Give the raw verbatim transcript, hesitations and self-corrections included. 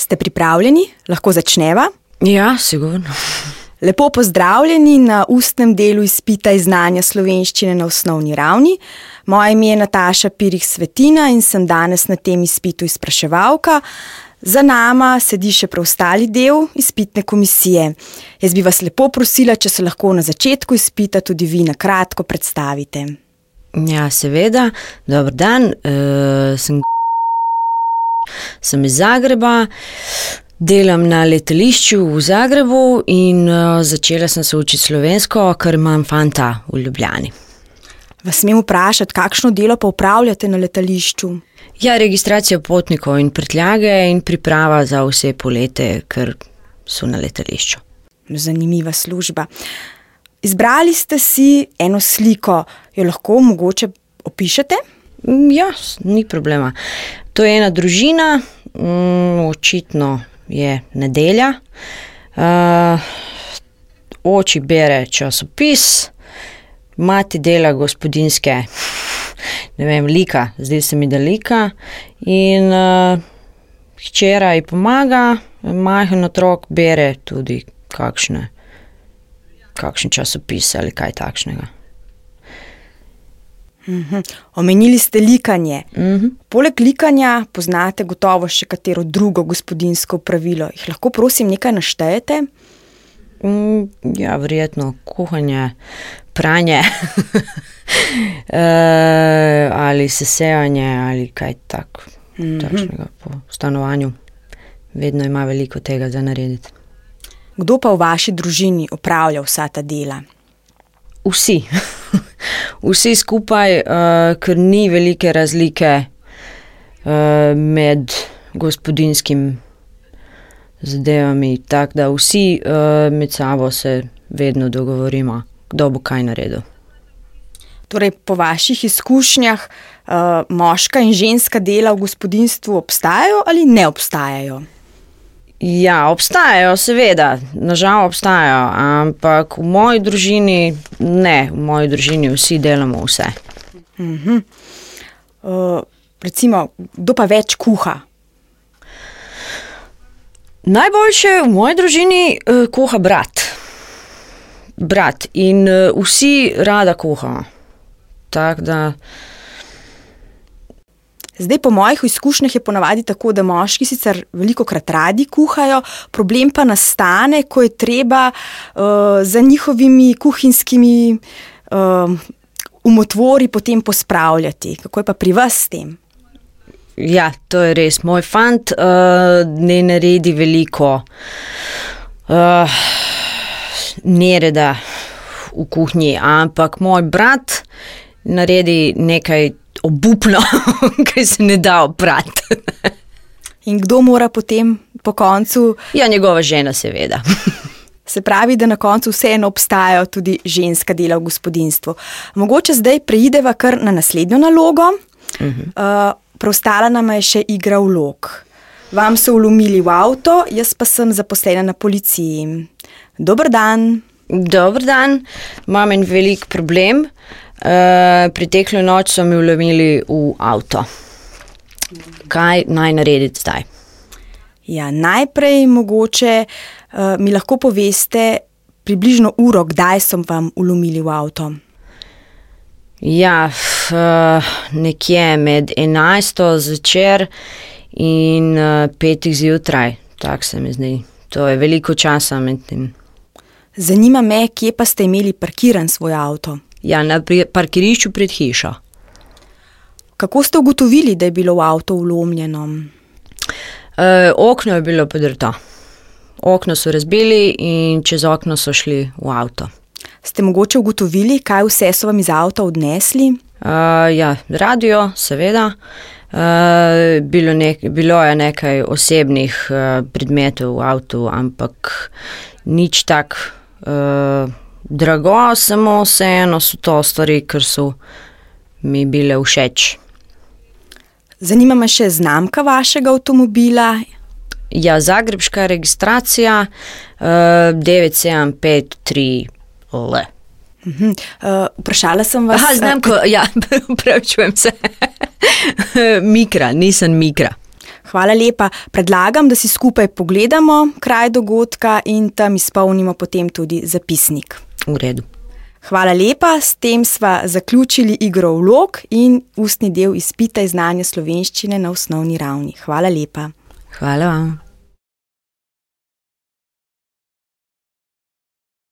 Ste pripravljeni? Lahko začneva? Ja, sigurno. Lepo pozdravljeni na ustnem delu izpita iz znanja slovenščine na osnovni ravni. Moje ime je Nataša Pirih Svetina in sem danes na tem izpitu izpraševalka. Za nama sedi še preostali del izpitne komisije. Jaz bi vas lepo prosila, če se lahko na začetku izpita tudi vi na kratko predstavite. Ja, seveda. Dober dan, uh, sem, sem iz Zagreba, delam na letališču v Zagrebu in uh, začela sem se učiti slovensko, ker imam fanta v Ljubljani. Vas smem vprašati, kakšno delo pa upravljate na letališču? Ja, registracija potnikov in prtljage in priprava za vse polete, ker so na letališču. Zanimiva služba. Izbrali ste si eno sliko, jo lahko mogoče opišete? Ja, ni problema. To je ena družina, mm, očitno je nedelja. Uh, oči bere časopis, mati dela gospodinjske, ne vem, lika, zdi se mi, da lika, in uh, hčera ji pomaga, majhen otrok bere tudi kakšne, kakšen časopis ali kaj takšnega. Uhum. Omenili ste likanje. Mhm. Poleg likanja poznate gotovo še katero drugo gospodinjsko pravilo. Jih lahko prosim nekaj naštejete? Mm, ja, verjetno kuhanje, pranje, e, ali sesevanje, ali kaj tak, Mhm. takšnega po stanovanju. Vedno ima veliko tega za narediti. Kdo pa v vaši družini opravlja vsa ta dela? Vsi. Vsi skupaj, uh, ker ni velike razlike uh, med gospodinjskim zadevami, tako da vsi uh, med sabo se vedno dogovorimo, kdo bo kaj naredil. Torej, po vaših izkušnjah uh, moška in ženska dela v gospodinjstvu obstajajo ali ne obstajajo? Ja, obstajajo, seveda, nažal obstajajo, ampak v moji družini ne, v moji družini vsi delamo vse. Mhm. Uh, recimo, kdo pa več kuha? Najboljše v moji družini uh, kuha brat. Brat in uh, vsi rada kuhamo. Tako da... Zdaj, po mojih izkušnjah je ponavadi tako, da moški sicer velikokrat radi kuhajo, problem pa nastane, ko je treba uh, za njihovimi kuhinjskimi uh, umotvori potem pospravljati. Kako je pa pri vas s tem? Ja, to je res. Moj fant uh, ne naredi veliko uh, nereda v kuhinji, ampak moj brat naredi nekaj obupno, kaj se ne da oprati. In kdo mora potem po koncu? Ja, njegova žena, seveda. Se pravi, da na koncu vseeno obstajajo tudi ženska dela v gospodinjstvu. Mogoče zdaj preideva kar na naslednjo nalogo. Uh-huh. Uh, preostala nama je še igra vlog. Vam so vlomili v avto, jaz pa sem zaposlena na policiji. Dober dan. Dober dan, imam en velik problem. Uh, preteklo noč so mi vlomili v avto. Kaj naj narediti zdaj? Ja, najprej mogoče uh, mi lahko poveste približno uro, kdaj so vam vlomili v avto. Ja, uh, nekje med enajsto zvečer in uh, petih zjutraj, tako se mi zdi. To je veliko časa med tem. Zanima me, kje pa ste imeli parkiran svoj avto? Ja, na parkirišču pred hišo. Kako ste ugotovili, da je bilo v avto vlomljeno? E, okno je bilo podrto. Okno so razbili in čez okno so šli v avto. Ste mogoče ugotovili, kaj vse so vam iz avta odnesli? E, ja, radio, seveda. E, bilo, nek, bilo je nekaj osebnih uh, predmetov v avtu, ampak nič tak uh, drago, samo vseeno so to stvari, ker so mi bile všeč. Zanima me še znamka vašega avtomobila. Ja, zagrebška registracija uh, devet sedem pet tri L. Uh-huh. Uh, vprašala sem vas... Aha, znamko, uh, ja, pravičujem se. Mikra, nisem Mikra. Hvala lepa. Predlagam, da si skupaj pogledamo kraj dogodka in tam izpolnimo potem tudi zapisnik. V redu. Hvala lepa, s tem sva zaključili igro vlog in ustni del izpita iz znanja slovenščine na osnovni ravni. Hvala lepa. Hvala vam.